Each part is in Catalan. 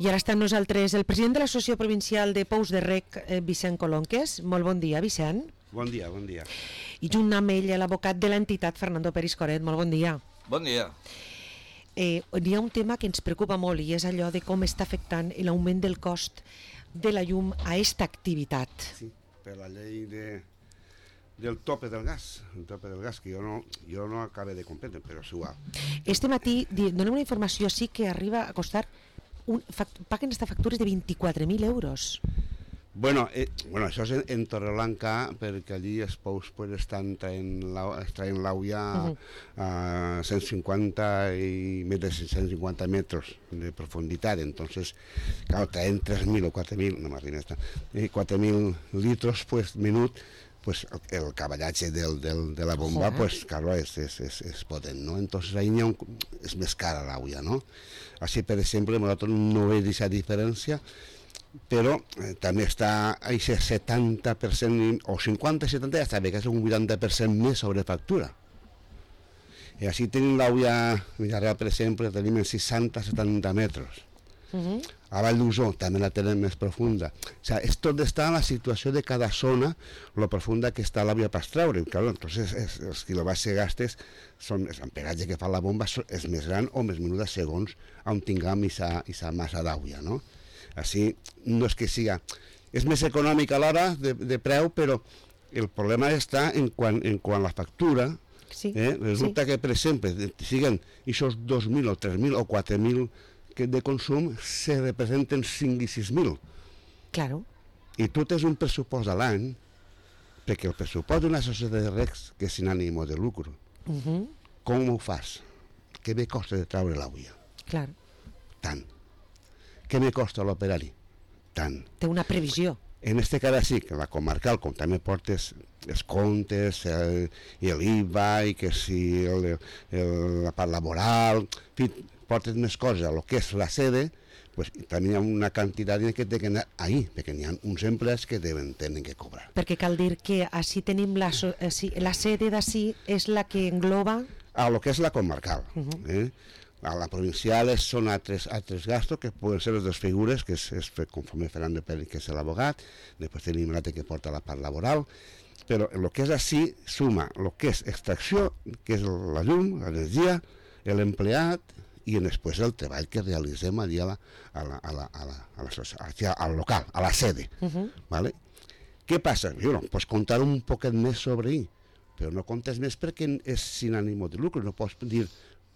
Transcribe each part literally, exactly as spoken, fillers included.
I ara està amb nosaltres el president de l'Associació Provincial de Pous de Rec, Vicent Colonques. Molt bon dia, Vicent. Bon dia, bon dia. I junt amb ell l'abocat de l'entitat, Fernando Peris Coret. Molt bon dia. Bon dia. Eh, hi ha un tema que ens preocupa molt i és allò de com està afectant l'augment del cost de la llum a aquesta activitat. Sí, per la llei de, del tope del gas, el tope del gas, que jo no, jo no acabé de comprendre, però és igual. Este matí donem una informació sí que arriba a costar, un, paguen esta factures de vint-i-quatre mil euros. Bueno, eh, bueno, això és en, en Torreblanca, perquè allí els pous pues, estan traient l'auia a, uh-huh. a cent cinquanta i més de cent cinquanta metres de profunditat, entonces, claro, traen tres mil o quatre mil, no m'arriba esta, eh, quatre mil litros pues, minut, pues el caballatge del, del, de la bomba, uh-huh. pues claro, és, és, és, és potent, no? Entonces ahí un, és més cara l'auia, no? Així, per exemple, nosaltres no veig aquesta diferència, però eh, també està a aquest setanta per cent o cinquanta a setanta, ja està bé que és un vuitanta per cent més sobre factura. I així tenim l'auia Villarreal, per exemple, tenim en seixanta a setanta metres. Uh-huh. A Vall d'Uso també la tenen més profunda. O sigui, és tot està en la situació de cada zona, lo profunda que està l'àvia per treure. Claro, entonces es, els quilowatts que gastes, són, el amperatge que fa la bomba és més gran o més menuda segons on tinguem aquesta massa d'àvia, no? Així, no és que siga... És més econòmic a l'hora de, de preu, però el problema està en quan, en quan la factura, sí, eh, resulta sí. que, per exemple, siguen aquests dos mil o tres mil o quatre mil que de consum se representen cinc i sis mil. Claro. I tu tens un pressupost a l'any, perquè el pressupost d'una societat de recs que és sin ànimo de lucro, uh-huh. com ho fas? Què me costa de treure l'àvia? Claro. Tant. Què me costa l'operari? Tant. Té una previsió. En este cas sí, que la comarcal, com també portes els comptes, el, el I V A, i que si el, el, la part laboral, en fi, portes més coses a lo que és la sede, pues també hi ha una quantitat que té que anar ahí, perquè hi ha uns empleats que deuen tenen que cobrar. Perquè cal dir que així tenim la, la sede d'ací és la que engloba... A lo que és la comarcal. Uh-huh. eh? A la provincial són altres, altres gastos que poden ser les dues figures, que és, és conforme Fernando Pérez, que és l'abogat, després tenim l'altre que porta la part laboral, però el que és així suma el que és extracció, que és la llum, l'energia, l'empleat i després el treball que realitzem allà a la, a la, a la, a la, a la, al local, a la sede. Uh-huh. ¿Vale? Què passa? Bueno, pots contar un poquet més sobre ell, però no comptes més perquè és sin ànimo de lucro, no pots dir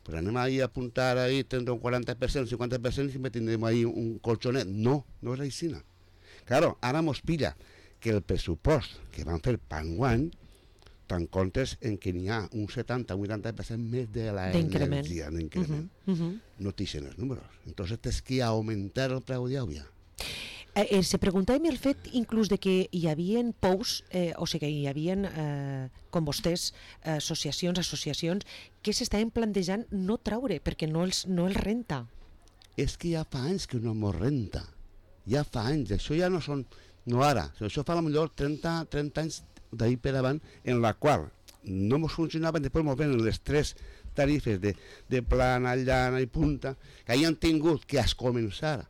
pues anem ahí a apuntar ahí, tindrà un quaranta per cent, un cinquanta per cent i sempre tindrem ahí un colchonet. No, no és així. Claro, ara mos pilla que el pressupost que van fer per enguany te'n comptes en que n'hi ha un setanta o vuitanta per cent més de l'energia d'increment. Uh-huh, uh-huh. No t'ixen els números. Entonces tens que augmentar el preu d'àvia. Eh, eh, se preguntàvem el fet inclús de que hi havia pous, eh, o sigui que hi havia, eh, com vostès, eh, associacions, associacions, que s'estaven plantejant no traure, perquè no els, no els renta. És que ja fa anys que no mos renta. Ja fa anys. Això ja no són... No ara. Això fa potser trenta, trenta anys d'ahir per avant, en la qual no mos funcionaven, després mos venen les tres tarifes de, de plana, llana i punta, que han tingut que es començar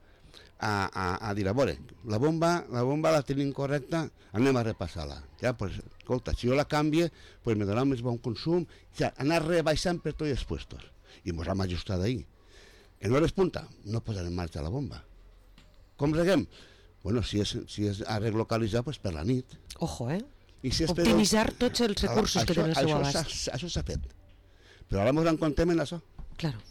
A, a, a dir, a veure, la bomba la bomba la tenim correcta, anem a repassar-la. Ja, pues, escolta, si jo la canvie, pues me donarà més bon consum, ja, anar rebaixant per tots els puestos. I ens hem ajustat ahir. En hores punta, no posarem en marxa la bomba. Com reguem? Bueno, si és, si és a relocalitzar, pues per la nit. Ojo, eh? I si optimitzar però... tots els recursos això, que tenen al seu abast. Això s'ha fet. Però ara ens en contem en això. Claro.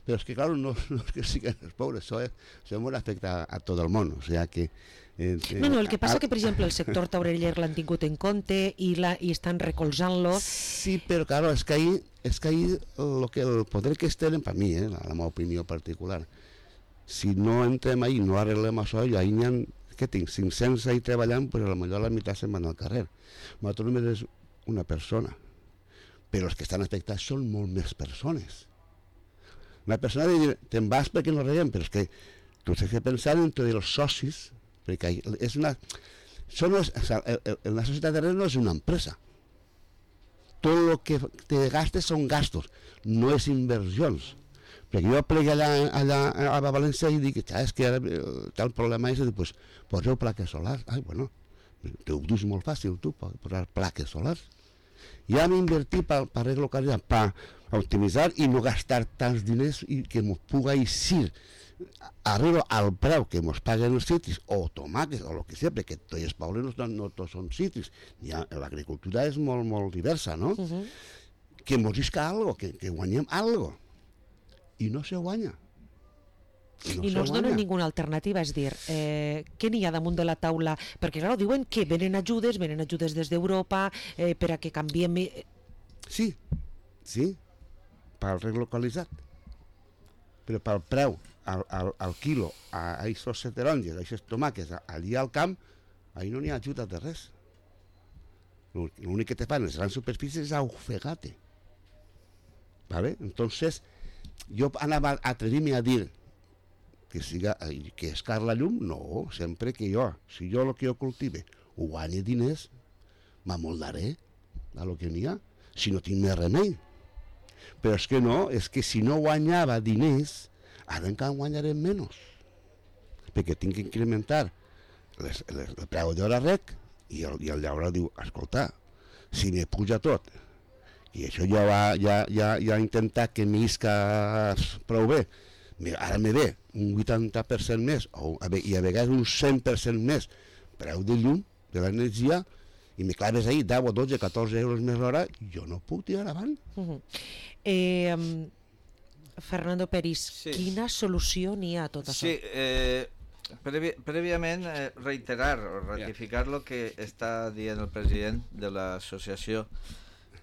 Pero es que claro, no, no es que sigan los pobres, eso, es, eso afecta a, a todo el món, o sea que... Eh, no, no, el que passa a, que, per exemple, el sector taureller l'han tingut en compte i, la, i estan recolzant-lo... Sí, però claro, és que ahí, és que ahí lo que el poder que estén, per mi, eh, la, la meva opinió particular, si no entrem ahí, no arreglem això, i ahí n'hi ha, què tinc, cinc-cents ahí treballant, pues a lo millor la meitat se'n van al carrer. Nosaltres només és una persona, però els que estan afectats són molt més persones. Una persona diu, te'n vas perquè no reguem, però és que tu has de pensar en tots els socis, perquè és una... Són les, o sea, la societat de recs no és una empresa. Tot el que te gastes són gastos, no és inversions. Perquè jo plegué allà, allà a València i dic, és que ara tal problema és, i pues, poseu plaques solars. Ai, bueno, t'ho dus molt fàcil, tu, posar plaques solars. Ja m'invertí per pa relocalitzar, per optimitzar i no gastar tants diners i que ens puga eixir arriba al preu que ens paguen els cítrics, o tomàquets, o el que sigui, perquè tots els pobles no, no tots són cítrics. L'agricultura és molt, molt diversa, no? Uh -huh. Que ens isca algo, que, que guanyem algo. I no se guanya. I no, I no es dona ninguna alternativa, és dir, eh, què n'hi ha damunt de la taula? Perquè, clar, diuen que venen ajudes, venen ajudes des d'Europa, eh, per a que canviem... Sí, sí, per relocalitzat. Però pel preu, al, al, al quilo, a aquests taronges, a aquests tomàquets, allà al camp, ahí no n'hi ha ajuda de res. L'únic que te fan les grans superfícies és ofegate. ¿Vale? Entonces, jo anava a atrevir-me a dir que siga, que és car la llum, no, sempre que jo, si jo el que jo cultive ho guanyi diners, m'amoldaré a lo que n'hi ha, si no tinc més remei. Però és que no, és que si no guanyava diners, ara encara guanyarem menys, perquè tinc que incrementar les, les, el preu d'hora rec, i el, i el llaurador diu, escolta, si me puja tot, i això ja va, ja, ja, ja intentat que m'isca prou bé, ara me ve un vuitanta per cent més, o, i a vegades un cent per cent més preu de llum, de l'energia, i me claves ahí deu o dotze, catorze euros més l'hora, jo no puc tirar avant. Uh -huh. eh, um, Fernando Peris, sí. Quina solució n'hi ha a tot això? Sí, eh, previ, prèviament eh, reiterar o ratificar el yeah. que està dient el president de l'associació,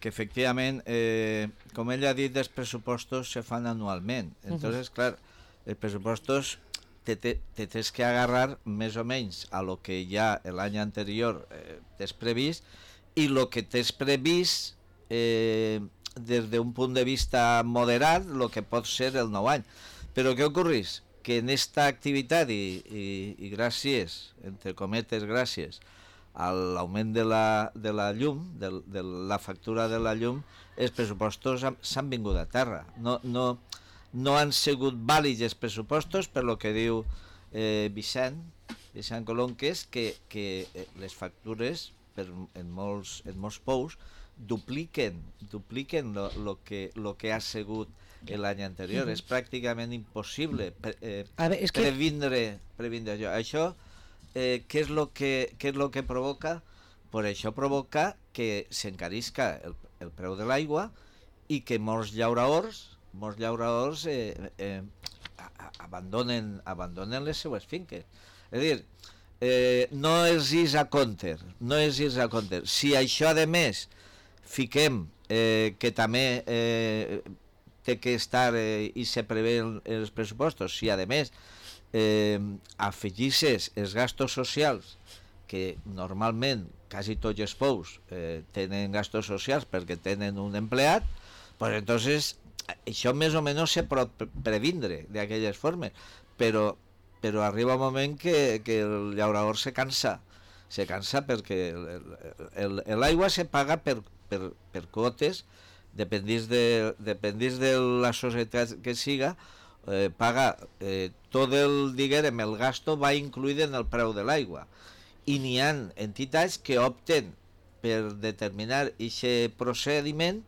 que efectivament, eh, com ell ha dit, els pressupostos se fan anualment. Entonces, uh -huh. clar, els pressupostos te, te, te tens que agarrar més o menys a lo que ja l'any anterior eh, t'has previst, i lo que t'has previst eh, des d'un punt de vista moderat, el que pot ser el nou any. Però què ocorreix? Que en esta activitat, i, i, i gràcies, entre cometes, gràcies, a l'augment de la, de la llum, de, de la factura de la llum, els pressupostos s'han vingut a terra. No, no, no han sigut vàlids els pressupostos, per lo que diu eh, Vicent, Vicent Colom, que és que, que les factures per, en, molts, en molts pous dupliquen, dupliquen lo, lo, que, lo que ha sigut l'any anterior. Mm-hmm. És pràcticament impossible pre, eh, veure, és previndre, que... previndre això. Això Eh, què és lo que, què és lo que provoca? Pues això provoca que s'encarisca el, el preu de l'aigua i que molts llauradors, molts llauradors eh, eh, abandonen, abandonen les seues finques. És a dir, eh, no és is a compte, no és is a compte. Si això, a més, fiquem eh, que també eh, té que estar eh, i se prevé els pressupostos, si, a més, Eh, afegisses els gastos socials, que normalment quasi tots els pous eh, tenen gastos socials perquè tenen un empleat, pues entonces això més o menys se pot previndre d'aquelles formes, però, però arriba un moment que, que el llaurador se cansa, se cansa perquè l'aigua se paga per, per, per quotes, dependís de, dependís de la societat que siga. Eh, paga eh, tot el, diguem, el gasto va incluït en el preu de l'aigua, i n'hi ha entitats que opten per determinar aquest procediment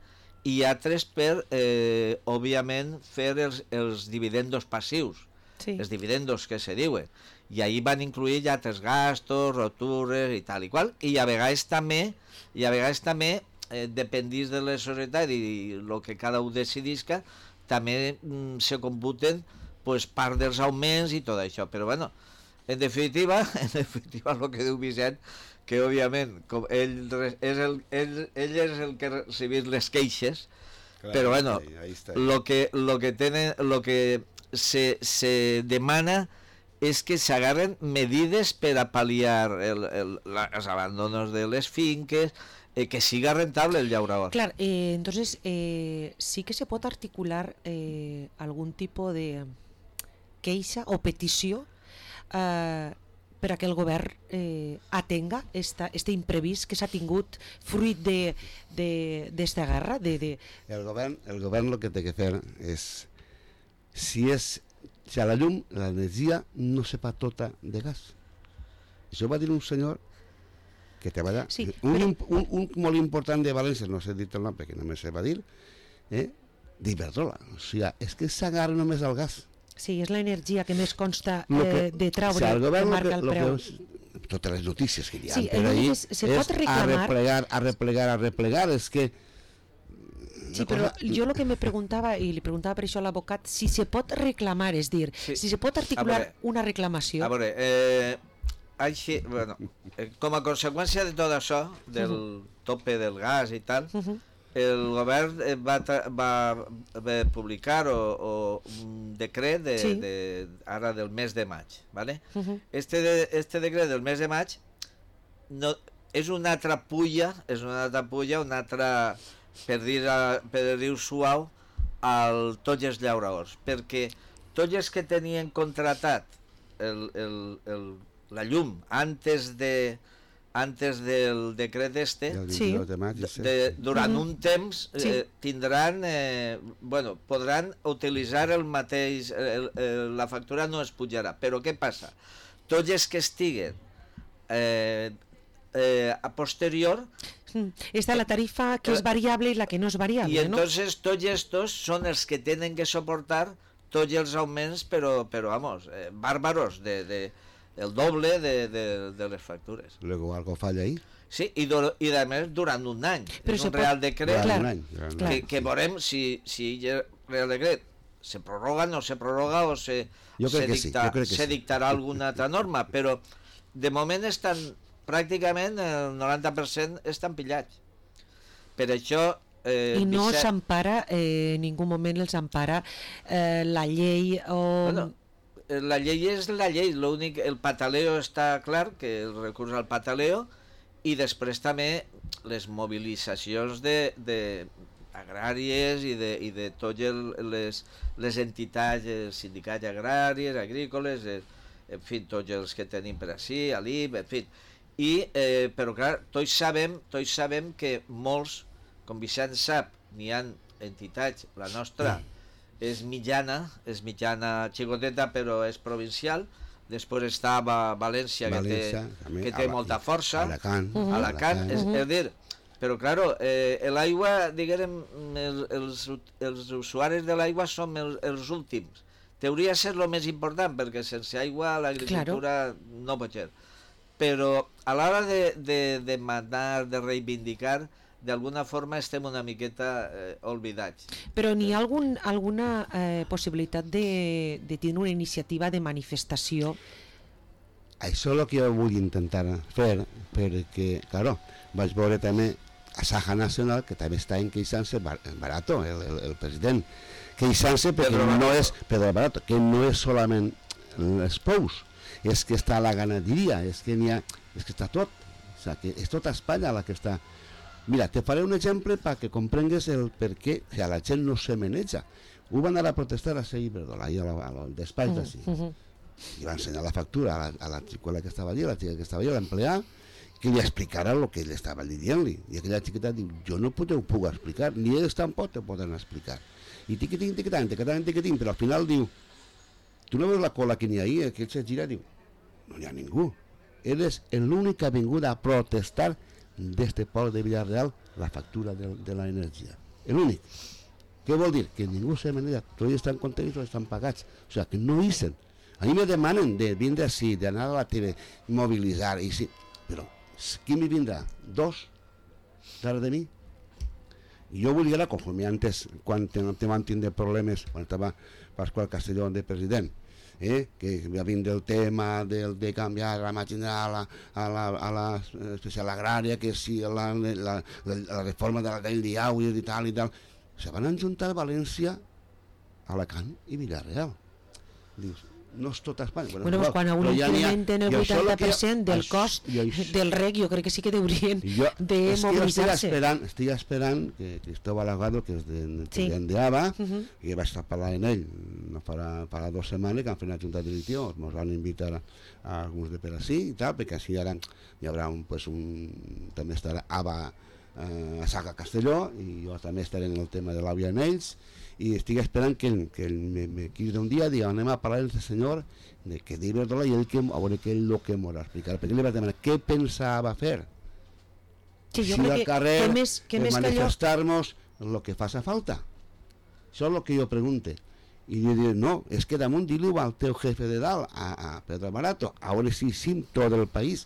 i altres per, eh, òbviament, fer els, els dividendos passius, sí. Els dividendos que se diuen, i ahí van incluir ja altres gastos, rotures i tal i qual, i a vegades també, i a vegades també eh, dependís de la societat i el que cada un decidisca, també mm, se computen pues, part dels augments i tot això, però bueno, en definitiva, en definitiva el que diu Vicent, que òbviament com ell, és el, ell, ell és el que recibís les queixes, clar, però bueno, el que, lo que, tenen, lo que se, se demana és que s'agarren medides per a pal·liar el, el, els abandonos de les finques, Eh, que siga rentable el llaurador. Claro, eh, entonces eh, sí que se pot articular eh, algun tipus de queixa o petició eh, per a que el govern eh, atenga esta, este imprevist que s'ha tingut fruit d'esta guerra. De, de... El govern el govern el que té que fer és si és si a la llum, l'energia no se fa tota de gas. Això va dir un senyor que treballa, Sí, un, però- un, un molt important de València, no sé dir el nom perquè només se va dir, eh, d'Iberdrola. O sigui, és que s'agarra només al gas. Sí, és l'energia que més consta Lo que- eh, de traure, si el govern que lo marca que- el lo que preu. és- totes les notícies que hi ha Sí, per el ahí únic és- se pot és a reclamar- replegar, a replegar, a replegar, és que Sí, una però cosa- jo el que me preguntava, i li preguntava per això a l'advocat, si se pot reclamar, és dir, Sí. si se pot A articular veure, una reclamació. A veure, eh, així, bueno, eh, com a conseqüència de tot això, del tope del gas i tal, Uh -huh. el govern eh, va, tra- va, va publicar o, o un decret de, Sí. de, ara del mes de maig, ¿vale? Uh -huh. Este, de, este decret del mes de maig no, és una altra pulla, és una altra pulla, una altra, per dir, per dir suau, al tots els llauradors, perquè tots els que tenien contratat el, el, el, la llum antes de antes del decret este, el Sí. vint-i-dos de maig, de, sí. de, durant Mhm. un temps eh, Sí. tindran, eh, bueno, podran utilitzar el mateix, el, el, la factura no es pujarà, però què passa? Tots els que estiguen eh, eh, a posterior, Mm. Està la tarifa que és variable i la que no és variable, i no? entonces tots estos són els que tenen que soportar tots els augments, però, però vamos, eh, bàrbaros, de, de, el doble de, de, de les factures. Luego algo falla ahí. Sí, i, do, i a més durant un any. Però és se un pot- real decret Durant clar, un any, durant un clar. any, que, que sí. veurem si, si el Real Decret se prorroga, no se prorroga o se, Jo crec se, que sí, dicta, jo crec que se sí. dictarà alguna altra norma, però de moment estan pràcticament el noranta per cent estan pillats. Per això eh, I no Vicent- s'empara, eh, en ningú moment els empara eh, la llei o... Bueno, eh, la llei és la llei, l'únic, el pataleo està clar, que el recurs al pataleo, i després també les mobilitzacions de, de agràries i de, i de totes les, les entitats, els sindicats agraris, agrícoles, eh, en fi, tots els que tenim per així, a l'I B, en fi. I, eh, però clar, tots sabem, tots sabem que molts, com Vicent sap, n'hi ha entitats, la nostra és mitjana, és mitjana xicoteta però és provincial, després està a València, València, que també, té, que té Ala- molta força, Alacant, Mhm. Alacant, és, Mhm. és dir, però claro, eh, l'aigua, diguem, el, els, els usuaris de l'aigua som el, els últims. Hauria de ser el més important, perquè sense aigua l'agricultura no pot ser. Però a l'hora de, de demanar, de reivindicar, d'alguna forma estem una miqueta eh, oblidats. Però n'hi ha algun, alguna eh, possibilitat de, de tenir una iniciativa de manifestació? Això és el que jo vull intentar fer, perquè, claro, vaig veure també a Saja Nacional, que també està queixant-se, Bar- Barato, el, el, el president, queixant-se perquè Pedro no Barato. és, Pedro Barato, que no és solament els pous, és que està la ganaderia, és que n'hi ha, és que està tot, o sigui, que és tota Espanya la que està. Mira, te faré un exemple perquè comprengues el per què si a la gent no se maneja. Ho van anar a protestar a Seguir Verdola, ahí al despatx d'ací. Uh -huh. I va ensenyar la factura a la, a la xicola que estava allí, a la xica que estava allí, a l'empleat, que li explicara el que ell estava dient-li. I aquella xiqueta diu, jo no puc, ho puc explicar, ni ells tampoc te poden explicar. I tiquitín, tiquitín, tiquitín, tiquitín, però al final diu, tu no veus la cola que n'hi ha ahí? Aquell se gira i diu, no hi ha ningú. Ell és l'únic que ha vingut a protestar d'este poble de Villarreal la factura de, de l'energia. L'únic. Què vol dir? Que ningú se maneja, tots estan contents, tots estan pagats. O sigui, que no hicen. A mi me demanen de vindre així, d'anar a la tele, mobilitzar, i sí, però qui me vindrà? Dos? Darrere de mi? I jo volia, conforme antes, quan te, te van tindre problemes, quan estava Pasqual Castellón de president, eh, que va vindre el tema de, de canviar la màquina a la, a la, a la especial agrària, que si la, la, la, la reforma de la llei d'Iauis i tal i tal, se van ajuntar València, Alacant i Villarreal. Dius, no és tota Espanya. Bueno, pues quan a un incrementen el vuitanta per cent del cost del rec, jo crec que sí que haurien de mobilitzar-se. Estic esperant, estic esperant que Cristóbal Agado, que és de, Sí. de Ava, Uh -huh. i vaig estar parlant amb ell, no farà, farà dues setmanes que han fet una junta directiva, ens van invitar a, a alguns de per així i tal, perquè així ara hi haurà un, pues un, també estarà Ava, eh, a Saga Castelló, i jo també estaré en el tema de l'àvia en ells, i estic esperant que, que ell me, me cridi un dia i digui, anem a parlar amb el senyor de que d'Iberdrola i ell que, a veure què és el que m'ho explicar, perquè li va demanar què pensava fer. Sí, jo si crec al que, carrer que més, que més que allò... manifestar-nos el que faça falta. Això és el que jo pregunte. I jo diré, no, és que damunt di-li-ho al teu jefe de dalt, a, a Pedro Barato, a veure si sim tot el país.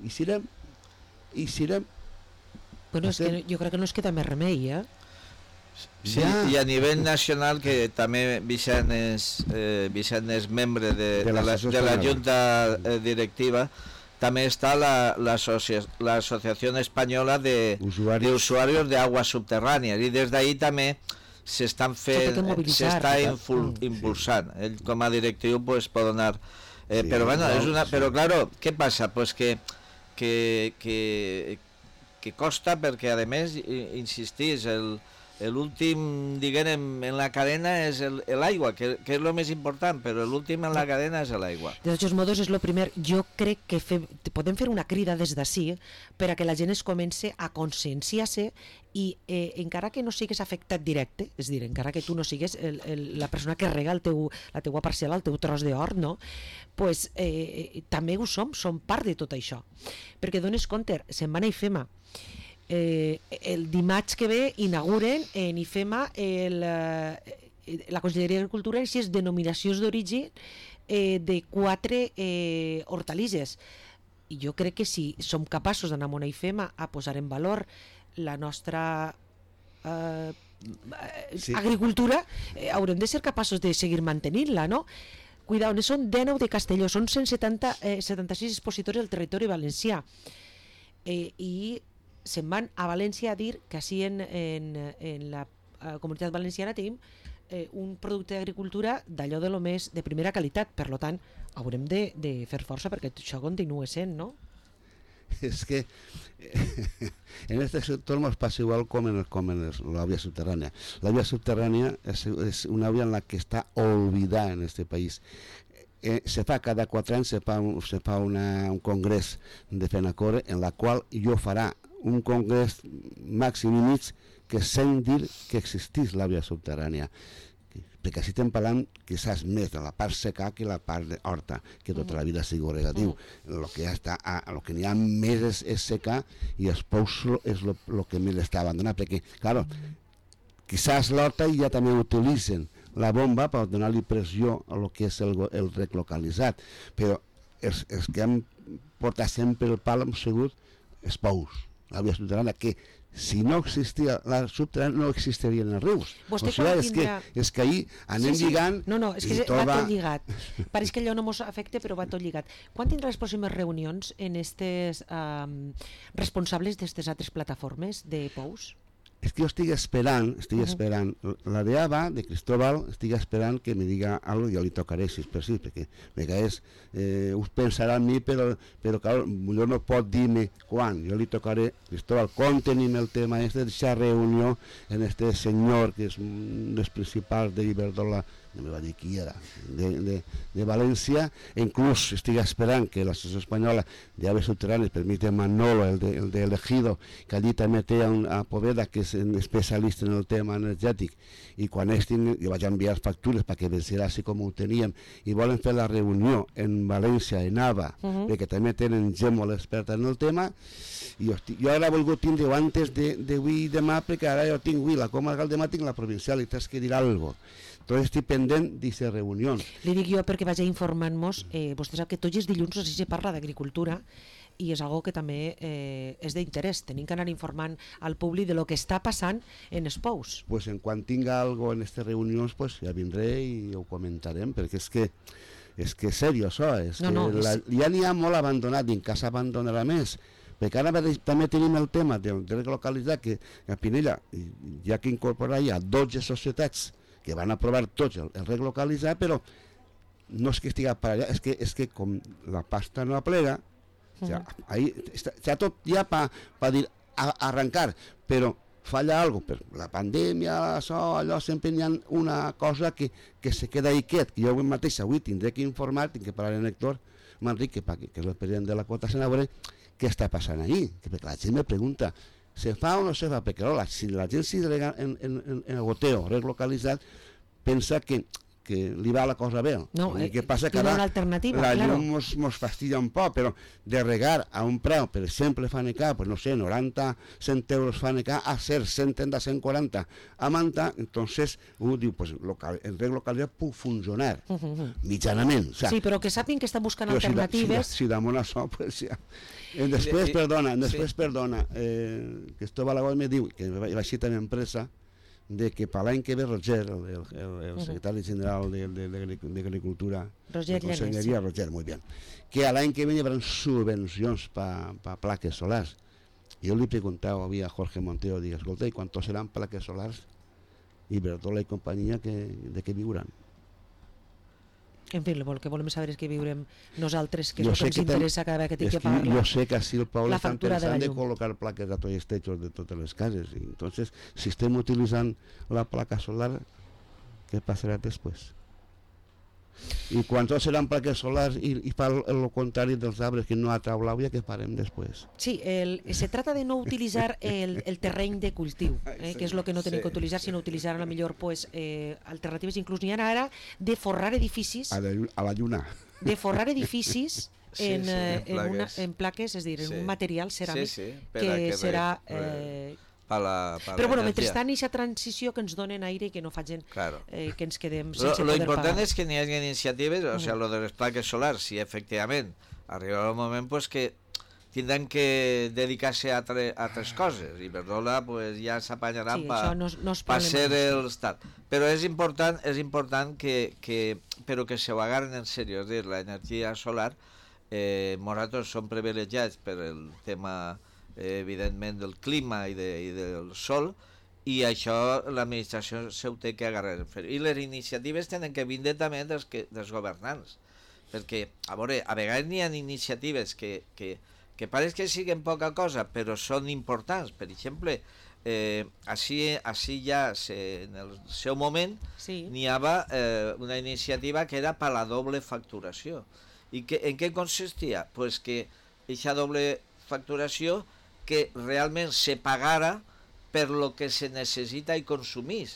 I serem, i serem. Bueno, és que jo crec que no es queda més remei, eh? Sí, ja. I a nivell nacional, que també Vicent és, eh, Vicent és membre de, de, la, de la Junta eh, Directiva, també està l'Associació la, Espanyola de, de Usuarios de Aguas Subterrànies, i des d'ahir també s'estan fent, s'està impulsant. Ell com a directiu pues, pot donar... Eh, sí, però bueno, és una, però claro, què passa? Pues que, que, que, que costa perquè a més, insistís, el l'últim, diguem, en la cadena és l'aigua, que, que és el més important, però l'últim en la cadena és l'aigua. De tots modos, és el primer. Jo crec que fe, podem fer una crida des d'ací per a que la gent es comenci a conscienciar-se i eh, encara que no sigues afectat directe, és a dir, encara que tu no sigues el, el, la persona que rega el teu, la teua parcel·la, el teu tros d'hort, no? Pues, eh, també ho som, som part de tot això. Perquè dones compte, se'n van a IFEMA, Eh, el dimarts que ve inauguren en IFEMA el, eh, la Conselleria d'Agricultura i així és denominacions d'origen eh, de quatre eh, hortalisses, i jo crec que si som capaços d'anar a una IFEMA a posar en valor la nostra eh, sí. agricultura, eh, haurem de ser capaços de seguir mantenint-la, no? Cuidao, ne són dinou de Castelló, són cent setanta, eh, setanta-sis expositors del territori valencià, eh, i se'n van a València a dir que així en, en, en la uh, comunitat valenciana tenim eh, un producte d'agricultura d'allò de lo més de primera qualitat, per lo tant haurem de, de fer força perquè això continua sent, no? És que en este sector nos pasa igual com en, com en la vía subterránea. La vía subterránea es, es una vía en la que está olvidada en este país. Eh, se fa cada quatre anys se fa, un, se fa una, un congrés de FENACORE en la qual jo farà un congrés màxim i mig que sent dir que existís la via subterrània, perquè així estem parlant quizás més de la part seca que la part horta, que tota la vida sigui regatiu. El que ja està, el que n'hi ha més és, és secar i els pous és el que més està abandonat, perquè, claro, quizás l'horta ja també utilitzen la bomba per donar-li pressió a lo que és el, el rec localitzat, però els, els que han portat sempre el pal hem sigut els pous, la via subterrània, que si no existia la subterrània no existirien els rius. Vostè o sigui, és, tindrà... que, és que ahir anem sí, sí. lligant... No, no, és que tot va tot lligat. Pareix que allò no ens afecta, però va tot lligat. Quan tindrà les pròximes reunions en estes um, responsables d'aquestes altres plataformes de pous? És que jo estic esperant, estic uh -huh. esperant, la de A B A, de Cristóbal, estic esperant que me diga algo i jo li tocaré, si és per si, perquè a vegades eh, us pensarà en mi, però, però clar, jo no pot dir-me quan, jo li tocaré, Cristóbal, com tenim el tema este d'aquesta reunió en este senyor, que és un dels principals d'Iberdrola, no me va dir qui era, de, de, de València, e inclús estic esperant que l'Associació Espanyola d'Aves Subterrànies permite Manolo, el de, el de Elegido, que allí també té un, a Poveda, que és un especialista en el tema energètic, i quan estin, jo vaig enviar factures perquè venciera així com ho teníem, i volen fer la reunió en València, en A B A, uh -huh. perquè també tenen gent molt experta en el tema, i jo, estic, jo ara he volgut tindre antes d'avui i demà, perquè ara jo tinc avui la comarcal, demà tinc la provincial, i t'has que dir alguna cosa. Entonces estic pendent d'aquesta reunió. Li dic jo perquè vaig informant-nos, eh, vostè sap que tots els dilluns així se parla d'agricultura i és algo que també eh, és d'interès. Tenim que anar informant al públic de lo que està passant en els pous. Pues en quan tinga algo en aquestes reunions, pues ja vindré i ho comentarem, perquè és que és que és seriós això, és no, no, que la, és... ja n'hi ha molt abandonat i en casa abandonarà més, perquè ara també tenim el tema del dret localitzat, que a Pinella ja que incorporar ja dotze societats que van aprovar tots el, el reg localitzat, però no és que estigui per allà, és que, és que com la pasta no aplega, uh -huh. o sea, ahí està, està tot ja per pa dir a, arrencar, però falla algo, per la pandèmia, això, allò, sempre hi ha una cosa que, que se queda ahí quiet, que jo avui mateix avui tindré que informar, tinc que parlar amb Héctor Manrique, que, que és el president de la quota senadora, què està passant ahí, que perquè la gent me pregunta, se fa o no se fa, perquè la, si la gent s'hi rega en, en, en, en el goteo relocalitzat, pensa que que li va la cosa bé. No, el que passa que ara ara la claro. llum mos, mos fastidia un poc, però de regar a un preu, per exemple, Fanecar, pues no sé, noranta, cent euros Fanecar, a ser cent trenta, cent quaranta a Manta, entonces uno diu, pues local, el reg localitzat puc funcionar, uh -huh. mitjanament. O sea, sí, però que sàpiguen que estan buscant alternatives. Si, si, si damunt això, pues ja... Eh, després, sí, perdona, després, sí. perdona, eh, que esto Balagós me diu, que va així en empresa, de que per l'any que ve Roger, el, el, el, el secretari general de, de, de, de Agricultura, Roger de Conselleria, Roger, muy bien, que a l'any que ve hi haurà subvencions per pa plaques solars. Jo li preguntava avui a Jorge Montero, dic, escolta, i quantos seran plaques solars? I Bertola i companyia, que, de què viuran? En fi, el que volem saber és que viurem nosaltres, que és jo el que ens que interessa cada vegada que tinc que pagar jo sé que així el poble estan pensant de, de col·locar plaques a tots els techos de totes les cases. I entonces, si estem utilitzant la placa solar, què passarà després? I quan tots seran plaques solars i, i fa el, el contrari dels arbres que no atrau l'aigua, què farem després? Sí, el, se trata de no utilitzar el, el terreny de cultiu, eh, que és el que no tenim sí, que utilitzar, sinó utilitzar a la millor pues, eh, alternatives. Inclús n'hi ha ara de forrar edificis... A la, a la lluna. De forrar edificis en, sí, sí, en, en, una, en plaques, és a dir, en sí. un material ceràmic sí, sí, que, que serà... Eh, Pa la, pa però bueno, mentrestant aquesta transició que ens donen aire i que no facin claro. eh, que ens quedem sense lo, lo poder pagar. Lo important és que n'hi hagi iniciatives, o uh -huh. sea, lo de les plaques solars, si efectivament arribarà un moment pues, que tindran que dedicar-se a, a altres coses, i Bertola pues, ja s'apanyaran sí, per no, no pa ser el estat. Però és important, és important que, que, però que se ho agarren en sèrio, és a dir, l'energia solar, eh, nosaltres som privilegiats per el tema evidentment del clima i, de, i del sol, i això l'administració se ho té que agarrar. I les iniciatives tenen que vindre també dels, que, dels governants, perquè a veure, a vegades n'hi ha iniciatives que, que, que pareix que siguen poca cosa, però són importants. Per exemple, eh, així, així ja se, en el seu moment sí. n'hi havia eh, una iniciativa que era per la doble facturació. I que, en què consistia? Pues que aquesta doble facturació que realment se pagara per lo que se necessita i consumís.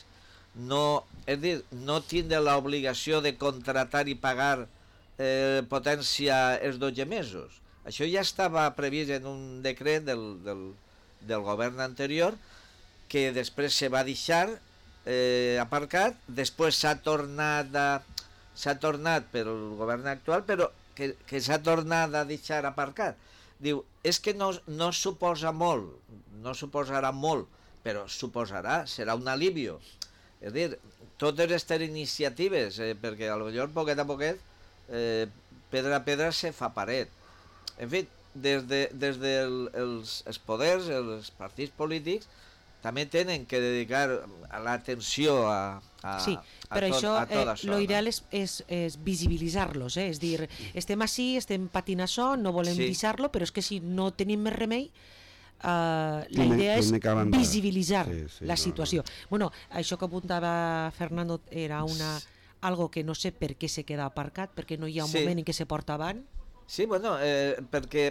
No, és dir, no tindre l'obligació de contratar i pagar eh, potència els dotze mesos. Això ja estava previst en un decret del, del, del govern anterior, que després se va deixar eh, aparcat, després s'ha tornat a, s'ha tornat per el govern actual, però que, que s'ha tornat a deixar aparcat. Diu, és que no, no suposa molt, no suposarà molt, però suposarà, serà un alivio. És a dir, totes aquestes iniciatives, eh, perquè potser poquet a poquet, eh, pedra a pedra se fa paret. En fi, des, de, des dels de els poders, els partits polítics, també tenen que dedicar l'atenció a, a, sí, però a tot, això, a tot això. Eh, lo ideal és, és, és visibilitzar-los, eh? És dir, estem així, estem patint això, no volem sí. deixar-lo, però és que si no tenim més remei, uh, la tiene, idea és tiene visibilitzar sí, sí, la no, situació. No. Bueno, això que apuntava Fernando era una, algo que no sé per què se queda aparcat, perquè no hi ha un sí. moment en què se porta avant. Sí, bueno, eh, perquè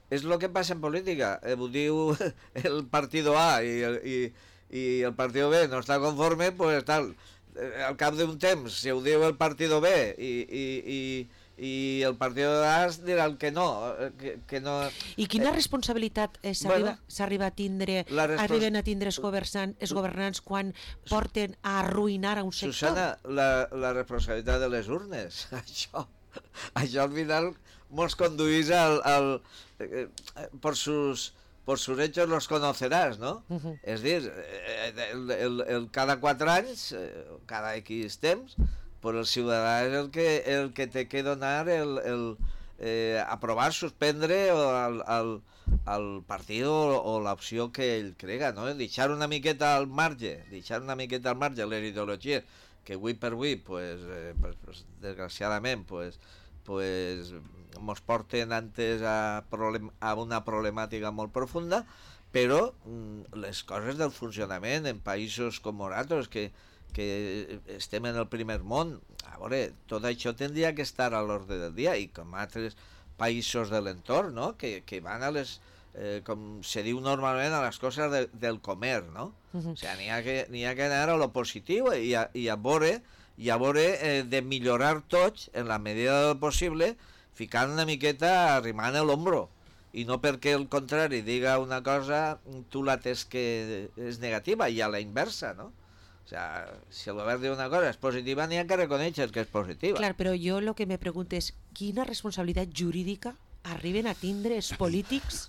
és el que passa en política, eh, ho diu el partido A i el, i, i el partido B no està conforme, pues tal, eh, al cap d'un temps, si ho diu el partido B i, i, i, i el partido A dirà el que no, que, que no... I quina eh, responsabilitat eh, s'arriba bueno, a tindre, respons... arriben a tindre els governants, els governants quan porten a arruïnar a un sector? Susana, la, la responsabilitat de les urnes, això, això al final mos conduís al... al Eh, por sus por sus hechos los conocerás, ¿no? Uh-huh. Es dir, el, el, el cada quatre anys, cada X temps, pues el ciutadà és el que el que té que donar el, el eh, aprovar, suspendre o al, al, al partit o, o l'opció que ell crega, no? Deixar una miqueta al marge, deixar una miqueta al marge les ideologies que avui per avui, pues, eh, pues, pues desgraciadament, pues, pues mos porten antes a, problem a una problemàtica molt profunda, però mm, les coses del funcionament en països com nosaltres, que, que estem en el primer món, a veure, tot això tindria que estar a l'ordre del dia, i com altres països de l'entorn, no? que, que van a les eh, com se diu normalment, a les coses de, del comer, no? Uh-huh. O sigui, n'hi ha, que, n'hi ha que anar a lo positiu i a, i a veure, i a veure eh, de millorar tots, en la medida del possible, ficant una miqueta, arrimant l'ombro, i no perquè el contrari diga una cosa, tu la tens que és negativa, i a la inversa, no? O sea, si el govern diu una cosa és positiva, n'hi ha que reconèixer que és positiva. Clar, però jo el que me pregunto és quina responsabilitat jurídica arriben a tindre els polítics?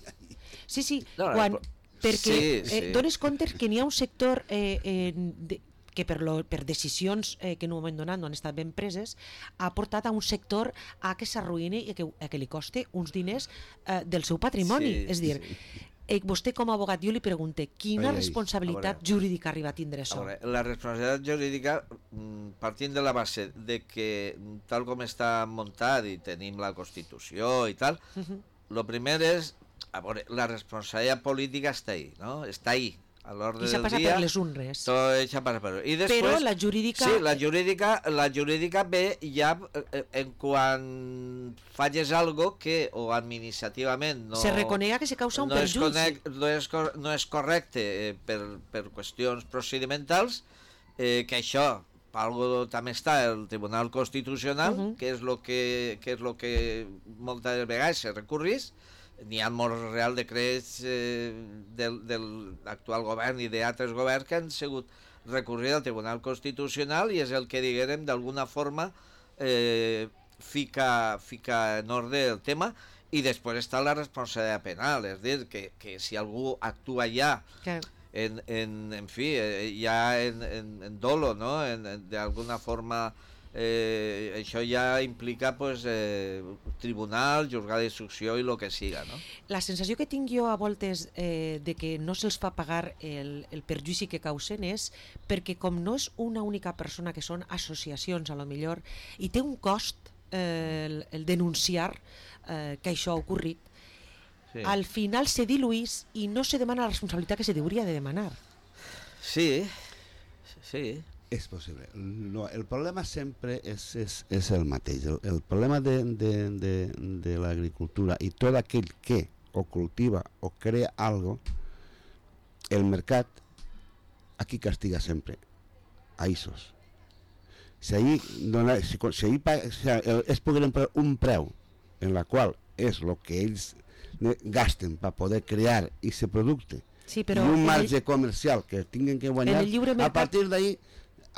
Sí, sí, no, quan, perquè sí, sí. Eh, dones compte que n'hi ha un sector eh, eh, de, que per, lo, per decisions eh, que en un moment donat no han estat ben preses, ha portat a un sector a que s'arruïni i a que, a que li costi uns diners eh, del seu patrimoni. Sí, és dir, sí. Eh, vostè com a abogat, jo li pregunto, quina ai, responsabilitat veure, jurídica arriba a tindre això? A veure, la responsabilitat jurídica, partint de la base de que tal com està muntat i tenim la Constitució i tal, uh-huh. Lo primer és, a veure, la responsabilitat política està ahí, no? Està ahí. A l'ordre del dia... I passa per les unres. Tot això passa per... I després, però la jurídica... Sí, la jurídica, la jurídica ve ja en quan falles algo que o administrativament no... Se reconega que se causa un no perjudici. És conec, no, és, no és correcte eh, per, per qüestions procedimentals, eh, que això, per algo també està el Tribunal Constitucional, uh-huh. que és lo que, que és lo que moltes vegades se recurrís. N'hi ha molts real decrets eh, del, del actual govern i d'altres governs que han sigut recurrir al Tribunal Constitucional i és el que, diguem, d'alguna forma eh, fica, fica en ordre el tema. I després està la responsabilitat penal, és dir, que, que si algú actua ja que... en, en, en fi, eh, ja en, en, en dolo, no? En, en, d'alguna forma... Eh, això ja implica pues, eh, tribunal, juzgat d'instrucció i el que siga, no? La sensació que tinc jo a voltes eh, de que no se'ls fa pagar el, el perjudici que causen és perquè com no és una única persona, que són associacions a lo millor, i té un cost eh, el, el denunciar eh, que això ha ocorrit, sí. Al final se diluís i no se demana la responsabilitat que se hauria de demanar. Sí, sí. És possible. No, el problema sempre és, és, és el mateix. El, el problema de, de, de, de l'agricultura i tot aquell que o cultiva o crea algo, el mercat aquí castiga sempre a isos. Si ahí, dona, si, si ahí si es pogueren per un preu en la qual és el que ells gasten per poder crear aquest producte, sí, i un marge el, comercial que tinguin que guanyar, a partir d'ahí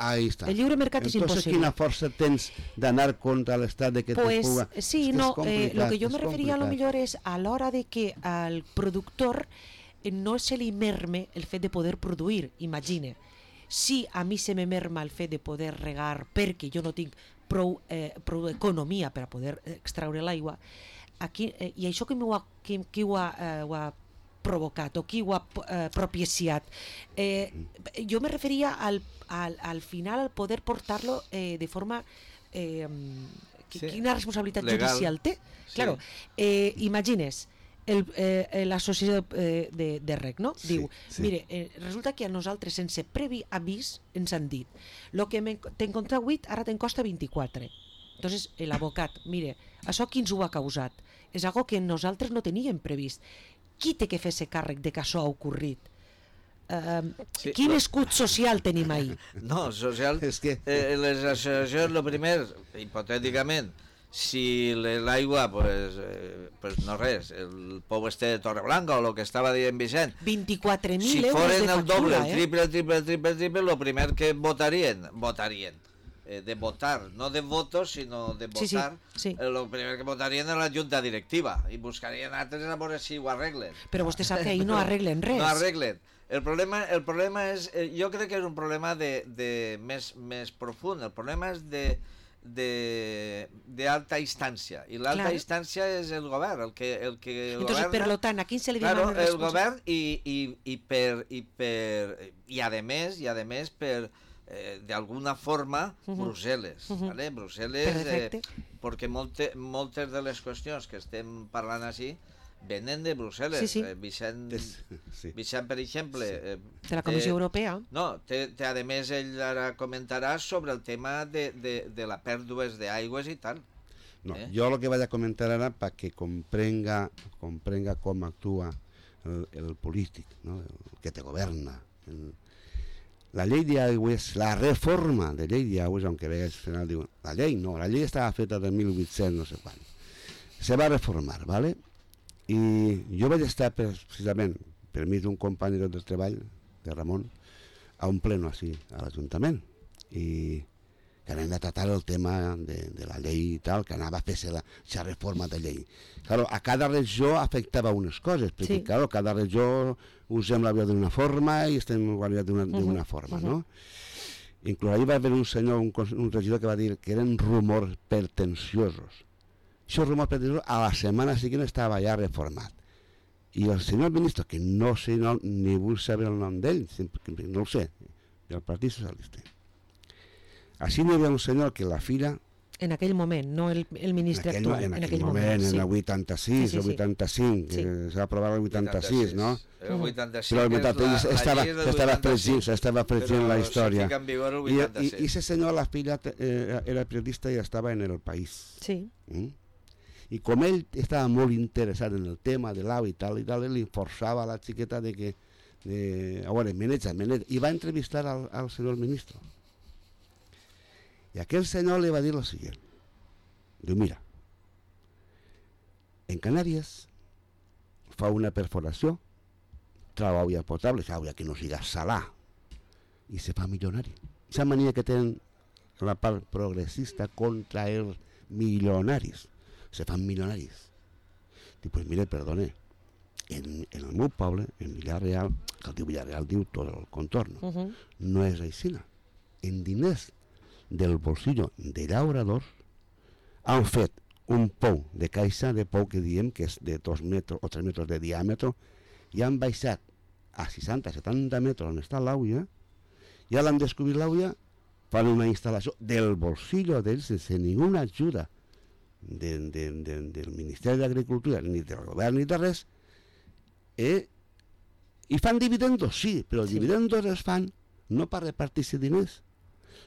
ahí está. El lliure mercat és Entonces, impossible. Quina força tens d'anar contra l'estat de que pues, te puga? Sí, es no, eh, lo que jo me referia a lo millor és a l'hora de que al productor no se li merme el fet de poder produir, imagine. Si a mi se me merma el fet de poder regar perquè jo no tinc prou, eh, prou economia per a poder extraure l'aigua, aquí, eh, i això que, ho ha, que, que ho ha, eh, ho ha provocat o qui ho ha eh, propiciat. Eh, jo me referia al, al, al final al poder portar-lo eh, de forma... Eh, sí. Quina responsabilitat legal. Judicial té? Sí. Claro, eh, imagines, el, eh, l'associació de, de, de reg, no? Sí, diu, sí. Mire, eh, resulta que a nosaltres, sense previ avís, ens han dit lo que te'n costa vuit, ara te'n costa vint-i-quatre. Entonces, l'abocat, mire, això qui ens ho ha causat? És algo que nosaltres no teníem previst. Qui té que fer-se càrrec de que això ha ocorrit? Uh, sí, quin no. escut social tenim ahí? No, social... És que... Eh, les associacions, el primer, hipotèticament, si l'aigua, pues, eh, pues no res, el pou este de Torreblanca o el que estava dient Vicent... vint-i-quatre mil si euros de factura, Si foren el doble, eh? el triple, el triple, el triple, el triple, el primer que votarien, votarien. De votar, no de votos, sinó de votar, sí, sí, sí. El primer que votarien és la junta directiva i buscarien altres a veure si ho arreglen. Però vostè sap que ahir no arreglen res. No arreglen. El problema, el problema és, jo crec que és un problema de, de més, més profund, el problema és de d'alta instància, i l'alta claro. Instància és el govern, el que, el que el Entonces, governa, per lo tant, a quin se li claro, demana el govern i, i, i per i per i a més, i a més per Eh, d'alguna forma uh-huh. Brussel·les, uh-huh. ¿vale? Brussel·les, eh, perquè molte, moltes de les qüestions que estem parlant així venen de Brussel·les. Sí, sí. Eh, Vicent, sí. Vicent, per exemple... Sí. Eh, de la Comissió eh, Europea. No, té, té, a més, ell ara comentarà sobre el tema de, de, de la pèrdues d'aigües i tal. No, eh? Jo el que vaig a comentar ara perquè comprenga, comprenga com actua el, el polític, no? El que te governa. El, la llei d'aigües, la reforma de llei d'aigües, aunque veig al final diuen, la llei no, la llei estava feta de mil vuit-cents no sé quan. Se va reformar, ¿vale? I jo vaig estar precisament, per mi d'un company del treball, de Ramon, a un pleno així, a l'Ajuntament, i que anem a tratar el tema de, de la llei i tal, que anava a fer-se la, la reforma de llei. Claro, a cada regió afectava unes coses, perquè sí. Claro, cada regió usem l'avió d'una forma i estem guanyant d'una uh -huh. forma, uh -huh. no? Inclús ahir va haver un senyor, un, un regidor que va dir que eren rumors pertenciosos. Això rumors pertenciosos a la setmana següent estava ja reformat. I el senyor ministre, que no sé no, ni vull saber el nom d'ell, no ho sé, del Partit Socialista. Així n'hi havia un senyor que la fira... En aquell moment, no el, el ministre en aquell, actual. En, en aquell moment, moment sí. En el vuitanta-sis, sí, sí, sí. El vuitanta-cinc, sí. Que s'ha aprovat el vuitanta-sis, no? El vuitanta-sis, però el vuitanta-sis estava, estava fregint, estava fregint la història. I aquest senyor, la filla, eh, era periodista i estava en El País. Sí. Mm? I com ell estava molt interessat en el tema de l'au i tal, i tal, li forçava a la xiqueta de que... De, a veure, meneja, meneja, i va entrevistar al, al senyor ministre. I aquell senyor li va dir el següent. Diu, mira, en Canàries fa una perforació, trau aigua potable, aigua que no siga salà, i se fa milionari. Aquesta mania que tenen la part progressista contra els milionaris. Se fan milionaris. Diu, pues mire, perdone, en, en el meu poble, en Villarreal, que el diu Villarreal diu tot el contorn, uh -huh. no és així. En diners del bolsillo de llauradors han fet un pou de caixa de pou que diem que és de dos metres o tres metres de diàmetre i han baixat a seixanta a setanta metres on està l'auia i ara han descobrit l'auia, fan una instal·lació del bolsillo d'ells sense ninguna ajuda de, de, de, del Ministeri d'Agricultura ni del govern ni de res eh? I fan dividendos, sí, però els sí. dividendos es fan no per repartir-se diners,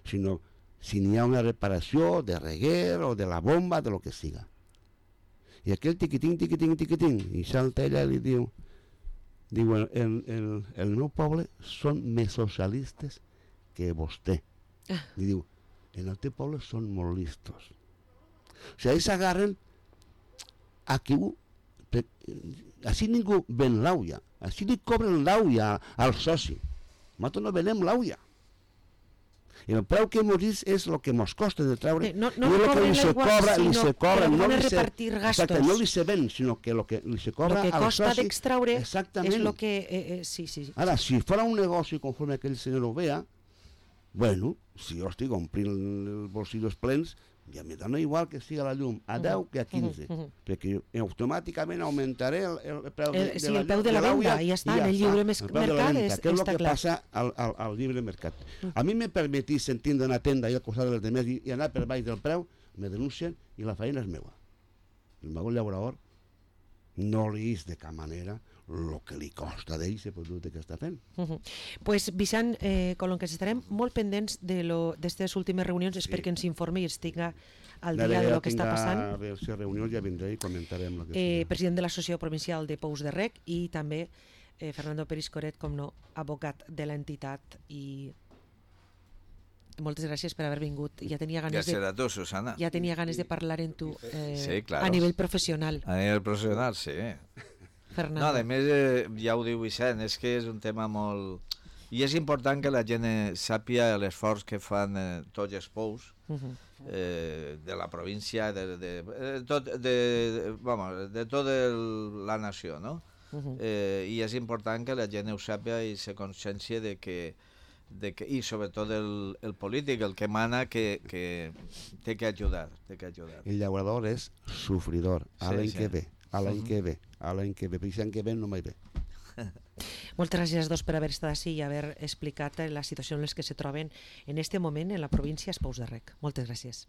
sinó si n'hi ha una reparació de reguer o de la bomba, de lo que siga. I aquell tiquitín, tiquitín, tiquitín, i salta ella i li diu, diu, el, el, el meu poble són més socialistes que vostè. Ah. I diu, en el teu poble són molt listos. O sigui, ells s'agarren a qui ho... Així ningú ven l'auia, així li cobren l'auia al soci. Nosaltres no venem l'auia. I el preu que mos dius és el que mos costa de treure, no, no i el que li se cobra, li se cobra, no li se, exacte, no li se ven, sinó que el que li se cobra al soci... El que costa d'extraure és el que... Eh, eh, sí, sí. Ara, si fora un negoci conforme aquell senyor ho vea, bueno, si jo estic omplint els bolsillos plens, ja me dona igual que siga la llum a deu que a quinze, uh -huh. perquè automàticament augmentaré el, el preu de, el, de sí, la, el preu de la venda, i ja està, en el lliure el mercat, és, que és el que clar. passa al, al, al lliure mercat. Uh -huh. A mi me permetís sentir d'una tenda i al costat dels demés i, i anar per baix del preu, me denuncien i la feina és meua. El meu llaurador no li és de cap manera el que li costa d'ell el producte que està fent. Uh -huh. Pues, Vicent, eh, com que estarem molt pendents d'aquestes últimes reunions, sí. Espero que ens informi i es tinga al dia de lo que està passant. A veure si reunió ja vindré i comentarem el que eh, sigui. President de l'Associació Provincial de Pous de Rec i també eh, Fernando Periscoret, com no, advocat de l'entitat, i moltes gràcies per haver vingut. Ja tenia ganes gràcies de, a tu, Susana. Ja tenia ganes de parlar amb tu eh, sí, claro. A nivell professional. A nivell professional, sí. Fernando. No, a més, eh, ja ho diu Vicent, és que és un tema molt... I és important que la gent sàpia l'esforç que fan eh, tots els pous uh -huh. eh, de la província, de, de, de, tot, de, de, vamos, de tota la nació, no? Uh -huh. eh, I és important que la gent ho sàpia i se consciència de que, de que i sobretot el, el polític, el que mana, que, que té que ajudar, té que ajudar. El llaurador és sofridor, a l'any sí, que sí. ve, a l'any uh -huh. que ve, a l'any que ve, perquè l'any que ve no mai ve. Moltes gràcies a dos per haver estat així i haver explicat la situació en les que se troben en este moment en la província de Pous de Rec. Moltes gràcies.